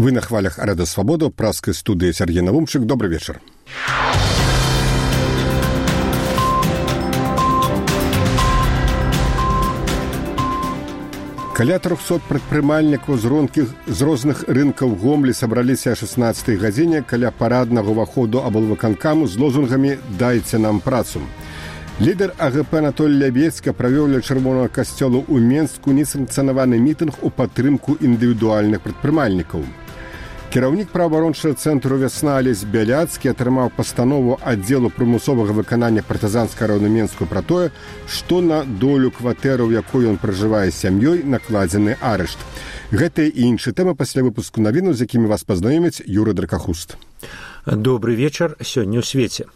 Вы на хвалях Радио Свобода, праскай студыі Сергей Навумчык. Добрый вечер. Каля 300 прадпрымальнікаў з розных рынкаў Гомлі сабраліся о 16 гадзіне каля параднага ўваходу аблвыканкаму з лозунгамі «Дайце нам працу». Лідар АГП Анатолій Лябецька правёў ля Чырвонага касцёла ў Менску несанкцыянаваны мітынг у падтрымку індывідуальных прадпрымальнікаў. Кіраўнік праваабарончага цэнтру «Вясна» Алесь Бяляцкі атрымаў пастанову аддзелу прымусовага выканання партызанскага району Менску пра тое, што на долю кватэры, у якой ён пражывае з сям'ёй, накладзены арышт. Гэтыя і іншыя тэмы пасля выпуску навіну, з якімі вас пазнаёміць Юрый Дракахуст. Добрый вечар, сёння ў свеце.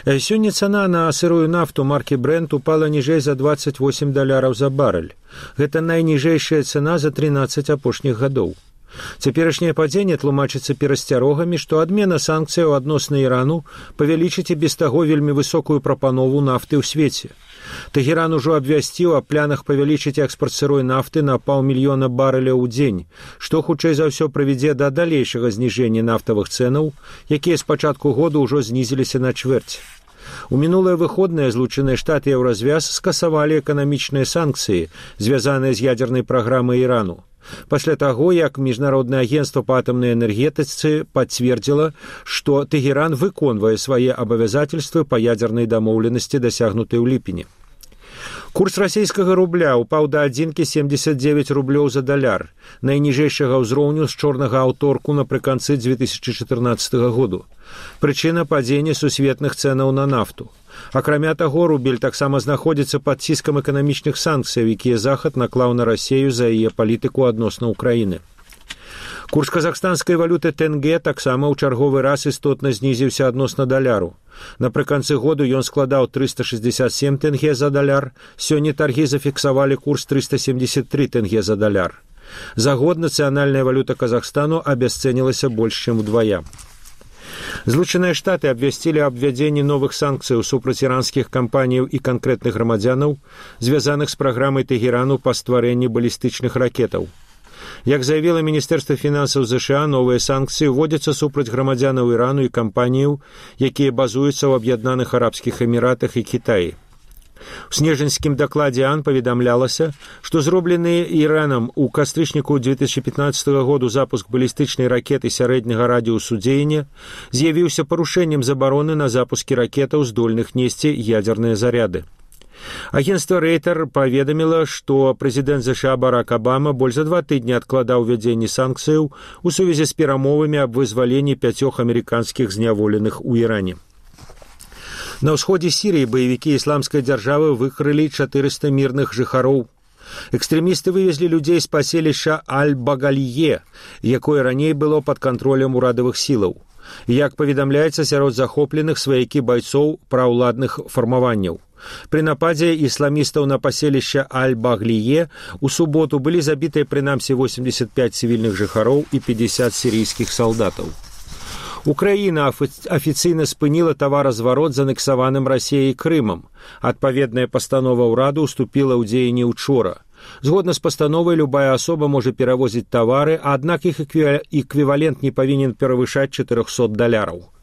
Сёння цана на сырую нафту маркі Brent упала ніжэй за $28 за барэль. Гэта найніжэйшая цана за 13 апошніх гадоў. Цяперашняе падзенне тлумачыцца перасцярогамі, што адмена санкцыяў адносна Ірану павялічыць і без таго вельмі высокую прапанову нафты ў свеце. Тэгеран ужо абвясціў аб планах павялічыць экспарт сырой нафты на 500 000 барэляў у дзень, што хутчэй за ўсё прывядзе да далейшага зніжэння нафтавых цэнаў, якія з пачатку года ўжо знізіліся на чвэрць. У мінулыя выходныя Злучаныя Штаты і Еўразвяз скасавалі эканамічныя санкцыі, звязаныя з ядзернай праграмай Ірану. Пасля таго, як Міжнароднае агенцтва па атамнай энергетыцы пацвердзіла, што Тэгеран выконвае свае абавязательствы па ядзернай дамоўленасці, дасягнутай у ліпені. Курс расійскага рубля упаў да 1,79 рублёў за даляр, найніжэйшага ўзроўню з чорнага аўторку напрыканцы 2014 году. Прычына падзення сусветных цэнаў на нафту. Акрамя таго, рубель таксама знаходзіцца пад ціскам эканамічных санкцыяў, якія Захад наклаў на Расею за яе палітыку адносна Ўкраіны. Курс казахстанскай валюты тенге таксама ў чарговы раз істотна знізіўся адносна даляру. Напрыканцы году ён складаў 367 тенге за даляр, сёння таргі зафіксавалі курс 373 тенге за даляр. За год нацыянальная валюта Казахстану абясцэнілася больш, чым удвая. Злучаныя Штаты абвясцілі аб ввядзенні новых санкцыяў супраць іранскіх кампаніяў і канкрэтных грамадзянаў, звязаных з праграмай Тэгерану па стварэнні балістычных ракетаў. Як заявіла Міністэрства фінансаў ЗША, новыя санкцыі ўводзяцца супраць грамадзянаў Ірану і кампаніяў, якія базуюцца ў Аб'яднаных Арабскіх Эміратах і Кітаі. У снежаньскім дакладзе АН паведамлялася, што зроблены Іранам у кастрычніку 2015 году запуск балістычнай ракеты сярэдняга радыусу дзеяння з'явіўся парушэннем забароны на запускі ракетаў, здольных несці ядзерныя заряды. Агенцтва Рейтер паведаміла, што прэзідэнт ЗША Барак Абама больш за 2 тыдні адкладаў увядзенне санкцыяў у сувязі з перамовамі аб вызваленні 5 амерыканскіх зняволеных у Іране. На ўсходзе Сірыі баевікі ісламскай дзяржавы выкрылі 400 мірных жыхароў. Экстрэмісты вывезлі людзей з паселішча Аль-Багалье, якое раней было пад кантролем урадавых сілаў. Як паведамляецца, сярод захопленых сваякі байцоў праўладных фармаванняў. Пры нападзе ісламістаў на паселішча Аль-Баглие у суботу былі забітыя прынамсі 85 цывільных жыхароў і 50 сірійскіх салдатаў. Украіна афіцыйна спыніла таваразварот з анексаваным Расеяй Крымам. Адпаведная пастанова ўраду ўступіла ў дзеянне учора. Згодна з пастановай, любая асоба можа перавозіць тавары, аднак іх эквівалент не павінен перавышаць $400.